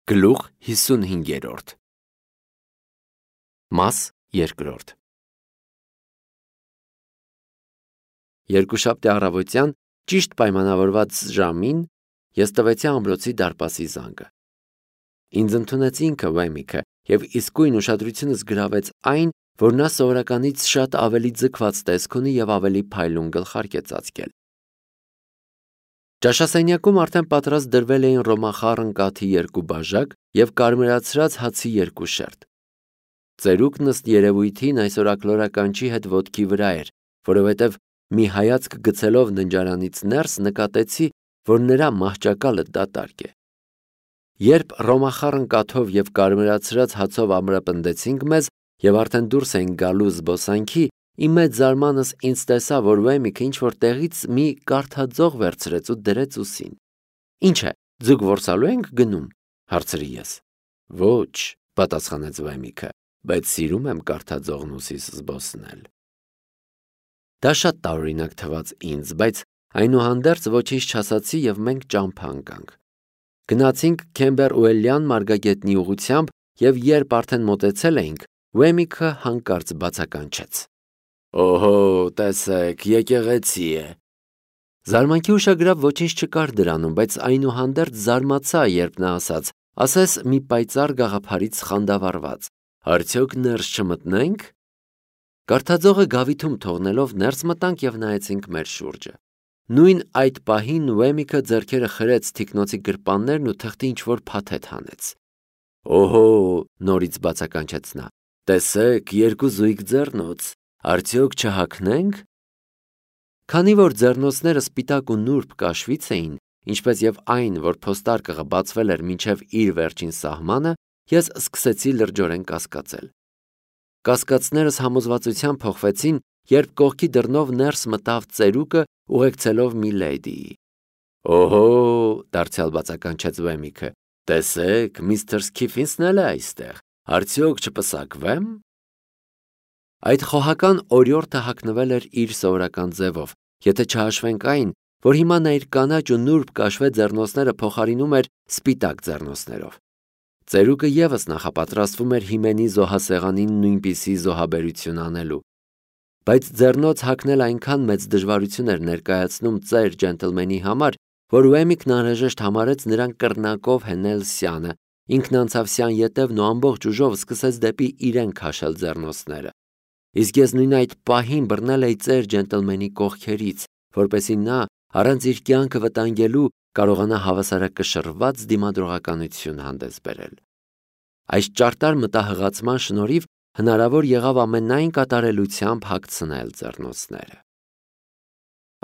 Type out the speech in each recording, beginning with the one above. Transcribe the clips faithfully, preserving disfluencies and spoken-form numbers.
Գլուխ հիսունհինգերորդ Մաս երկրորդ Երկուշաբթի առավոտյան ճիշտ պայմանավորված ժամին ես տվեցի ամրոցի դարպասի զանգը։ Ինձ ընդունեց ինքը Վեմիքը և իսկույն ուշադրությունս գրավեց այն, որ նա սովորականից շատ ավելի ձգված տեսք ունի և ավելի փայլուն գլխարկ է ծածկել։ Ճաշասենյակում արդեն պատրաստ դրվել էին ռոմախառն կաթի երկու բաժակ և կարմրացրած հացի երկու շերտ։ Ծերուկն ըստ երևույթին այսօր աքլորականչի հետ ոտքի վրա էր, որովհետև մի հայացք գցելով ննջարանից ներս նկատեցի, որ նրա մահճակալը դատարկ է։ Երբ ռոմախառն կաթով և կարմրացրած հացով ամրապնդեցինք մեզ և արդեն դուրս էինք գալու զբոսանքի, իմ մեծ զարմանքս ինձ տեսա, որ Վեմիքը ինչ-որ տեղից մի կարդաձող վերցրեց ու դրեց ուսին։ Ինչ է, ձուկ որսալու ենք գնում, հարցրի ես։ Ոչ, պատասխանեց Վեմիքը, բայց սիրում եմ կարդաձողն ուսիս զբոսնել։ Դա շատ տարօրինակ թվաց ինձ, բայց այնուհանդերձ ոչինչ չասացի և մենք ճամփա ընկանք։ Գնացինք Քեմբերուելյան մարգագետնի ուղղությամբ և երբ արդեն մոտեցել էինք, Վեմիքը հանկարծ բացականչեց. Օհո, տեսեք, եկեղեցի է։ Զարմանքի ուշագրավ ոչինչ չկար դրանում, բայց այնուհանդերձ զարմացա, երբ նա ասաց. ասես մի պայծառ գաղափարից խանդավառված. Արդյոք ներս չմտնե՞նք։ Կարդաձողը գավիթում թողնելով ներս մտանք և նայեցինք մեր շուրջը։ Նույն այդ պահին Վեմիքը ձեռքերը խրեց թիկնոցի գրպաններն ու թղթի ինչ-որ փաթեթ հանեց։ Օհո, նորից բացականչեց նա, տեսեք, երկու զույգ ձեռնոց, արդյոք չհագնե՞նք։ Քանի որ ձեռնոցները սպիտակ ու նուրբ կաշվից էին, ինչպես և այն, որ փոստարկղը բացվել էր մինչև իր վերջին սահմանը, ես սկսեցի լրջորեն կասկածել։ Կասկածներս համոզվածության փոխվեցին, երբ կողքի դռնով ներս մտավ ծերուկը ուղեկցելով մի լեյդիի։ Օհո, դարձյալ բացականչեց Վեմիքը, տեսեք, միստր Սքիֆինսն էլ է այստեղ, արդյոք չպսակվե՞մ։ Այդ խոհական օրիորդը հագնվել էր իր սովորական ձևով, եթե չհաշվենք այն, որ հիմա նա իր կանաչ ու նուրբ կաշվե ձեռնոցները փոխարինում էր սպիտակ ձեռնոցներով։ Ծերուկը ևս նախապատրաստվում էր հիմենի զոհասեղանին նույնպիսի զոհաբերություն անելու։ Բայց ձեռնոց հագնել այնքան մեծ դժվարություն էր ներկայացնում ծեր ջենտլմենի համար, որ Վեմիքն անհրաժեշտ համարեց նրան կռնակով հենել սյանը, ինքն անցավ սյան ետևն ու ամբողջ ուժով սկսեց դեպի իրեն քաշել ձեռնոցները։ Իսկ ես նույն այդ պահին բռնել էի ծեր ջենտլմենի կողքերից, որպեսզի նա, առանց իր կյանքը վտանգելու, կարողանա հավասարակշռված դիմադրողականություն հանդես բերել։ Այս ճարտար մտահղացման շնորհիվ հնարավոր եղավ ամենայն կատարելությամբ հագցնել ձեռնոցները։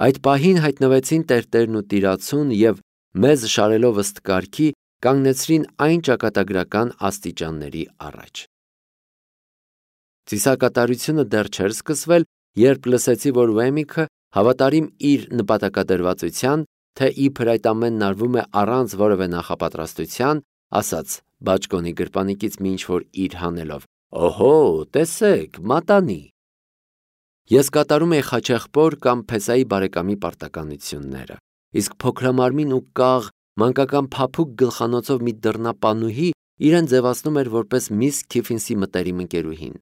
Այդ պահին հայտնվեցին տերտերն ու տիրացուն և, մեզ շարելով ըստ կարգի, կանգնեցրին այն ճակատագրական աստիճանների առաջ։ Ծիսակատարությունը դեռ չէր սկսվել, երբ լսեցի, որ Վեմիքը, հավատարիմ իր նպատակադրվածության, թե իբր այդ ամենն արվում է առանց որևէ նախապատրաստության, ասաց բաճկոնի գրպանիկից մի ինչ-որ իր հանելով. Օհո, տեսեք, մատանի։ Ես կատարում էի Խաչեղբոր կամ Փեսայի բարեկամի պարտականությունները, իսկ փոքրամարմին ու կաղ, մանկական փափուկ գլխանոցով մի դռնապանուհի իրեն ձևացնում էր որպես միս Քիֆինսի մտերիմ ընկերուհին։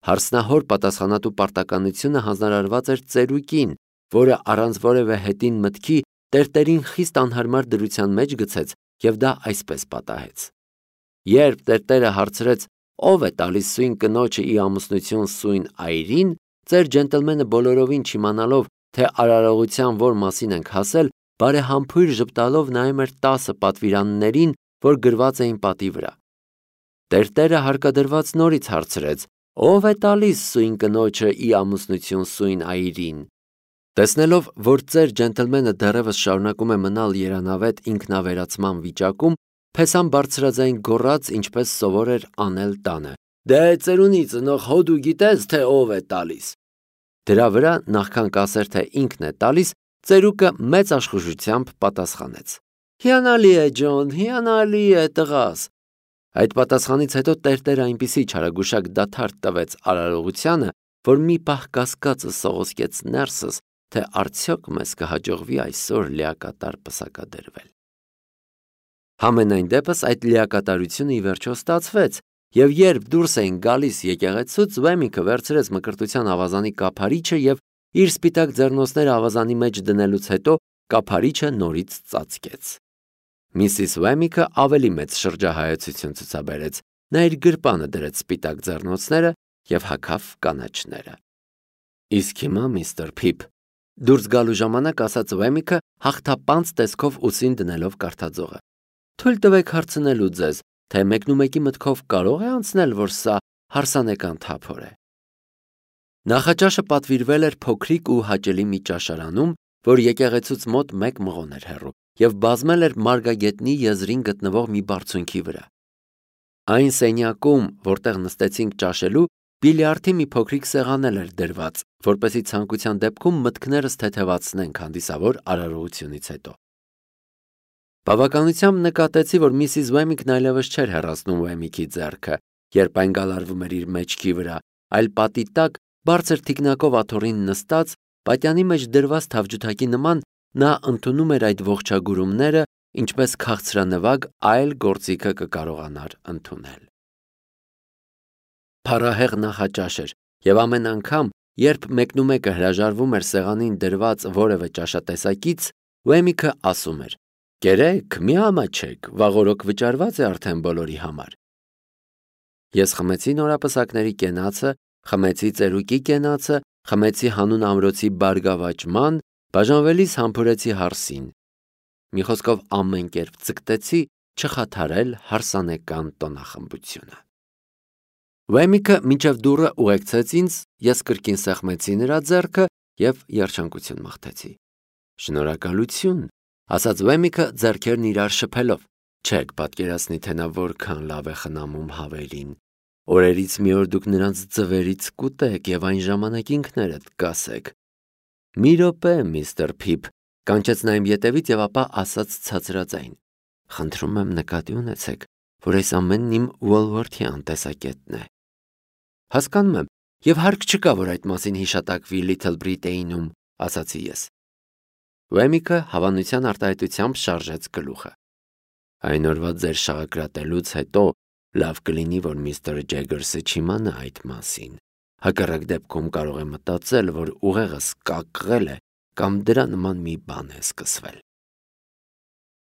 Հարսնահոր պատասխանատու պարտականությունը հանձնարարված էր ծերուկին, որը առանց որևէ հետին մտքի տերտերին խիստ անհարմար դրության մեջ գցեց և դա այսպես պատահեց։ Երբ տերտերը հարցրեց. ով է տալիս սույն կնոջը ի ամուսնություն սույն այրին, ծեր ջենտլմենը բոլորովին չիմանալով, թե արարողության որ մասին ենք հասել, բարեհամբույր ժպտալով նայում էր տասը պատվիրաններին, որ գրված էին պատի վրա։ Տերտերը հարկադրված նորից հարցրեց. ով է տալիս սույն կնոջը ի ամուսնություն սույն այրին։ Տեսնելով, որ ծեր ջենտլմենը դեռևս շարունակում է մնալ երանավետ ինքնավերացման վիճակում, Փեսան բարձրաձայն գոռաց, ինչպես սովոր էր անել տանը. Դե ծերունի ծնող հո դու գիտես, թե ով է տալիս։ Դրա վրա, նախքան կասեր, թե ինքն է տալիս, ծերուկը մեծ աշխուժությամբ պատասխանեց. Հիանալի է, Ջոն, հիանալի է, տղաս։ Այդ պատասխանից հետո տերտերը այնպիսի չարագուշակ դադար տվեց արարողությանը, որ մի պահ կասկածը սողոսկեց ներսս, թե արդյոք մեզ կհաջողվի այսօր լիակատար պսակադրվել։ Համենայն դեպս այդ լիակատարությունը ի վերջո ստացվեց, եւ երբ դուրս էին գալիս եկեղեցուց, Վեմիկը վերցրեց մկրտության ավազանի կափարիչը եւ իր սպիտակ ձեռնոցները ավազանի մեջ դնելուց հետո կափարիչը նորից ծածկեց։ Միսիս Վեմիկը ավելի մեծ շրջահայացություն ցուցաբերեց, նա իր գրպանը դրեց սպիտակ ձեռնոցները եւ հագավ կանաչները։ Իսկ հիմա, միստր Փիփ, դուրս գալու ժամանակ ասաց Վեմիկը հաղթապանց տեսքով ուսին դնելով կարդաձողը, թույլ տվեք հարցնելու ձեզ, թե մեկնումեկի մտքով կարող է անցնել, որ սա հարսանեկան թափոր է։ Նախաճաշը պատվիրվել էր փոքրիկ ու հաճելի մի ճաշարանում, որ եկեղեցուց մոտ մեկ մղոն էր հեռու, եւ բազմել էր Մարգագետնի եզրին գտնվող մի բարձունքի վրա։ Այն սենյակում, որտեղ նստեցինք ճաշելու, բիլիարդի մի փոքրիկ սեղան էր դրված, որպեսզի ցանկության դեպքում մտքներս թեթևացնենք հանդիսավոր արարողությունից հետո։ Բավականությամբ նկատեցի, որ միսիս Վեմիկն այլևս չէր հեռացնում Վեմիկի ձեռքը, երբ այն գալարվում էր իր մեջքի վրա, այլ պատի տակ, բարձր թիկնակով աթոռին նստած, պատյանի մեջ դրված թավջութակի նման, նա ընդունում էր այդ ողջագուրումները, ինչպես քաղցրանվագ այլ գործիքը կկարողանար ընդունել։ Փառահեղ նախաճաշ էր, եւ ամեն անգամ, երբ մեկնումեկը հրաժարվում էր սեղանին դրված որևէ ճաշատեսակից, Վեմիկը ասում էր. «Կերեք, մի ամաչեք, վաղօրոք վճարված է արդեն բոլորի համար»։ Ես խմեցի նորապսակների կենացը, խմեցի ծերուկի կենացը, խմեցի հանուն ամրոցի բարգավաճման, բաժանվելիս համբուրեցի հարսին։ Մի խոսքով ամեն կերպ ձգտեցի չխաթարել հարսանեկան տոնախմբությունը։ Վեմիկը մինչև դուռը ուղեկցեց ինձ, ես կրկին սեղմեցի նրա ձեռքը եւ երջանկություն մաղթեցի։ Շնորհակալություն, ասաց Վեմիկը ձեռքերն իրար շփելով։ Չեք պատկերացնի, թե նա որքան լավ է խնամում հավելին։ Օրերից մի օր դուք նրանց ձվերից կուտեք եւ այն ժամանակ ինքներդ կասեք։ Մի րոպե, միստր Փիփ, կանչեց նա իմ ետևից եւ ապա ասաց ցածրաձայն. Խնդրում եմ նկատի ունեցեք, որ այս ամենն իմ Ուոլվորթյան տեսակետն է։ Հասկանում եմ, եւ հարկ չկա, որ այդ մասին հիշատակվի Լիթլ Բրիտեյնում, ասացի ես։ Վեմիկը հավանության արտահայտությամբ շարժեց գլուխը։ Այն օրվա ձեր շաղակրատելուց հետո լավ կլինի, որ միստր Ջեգերսը չիմանա այդ մասին։ Հակառակ դեպքում կարող է մտածել, որ ուղեղս կակղել է կամ դրա նման մի բան է սկսվել։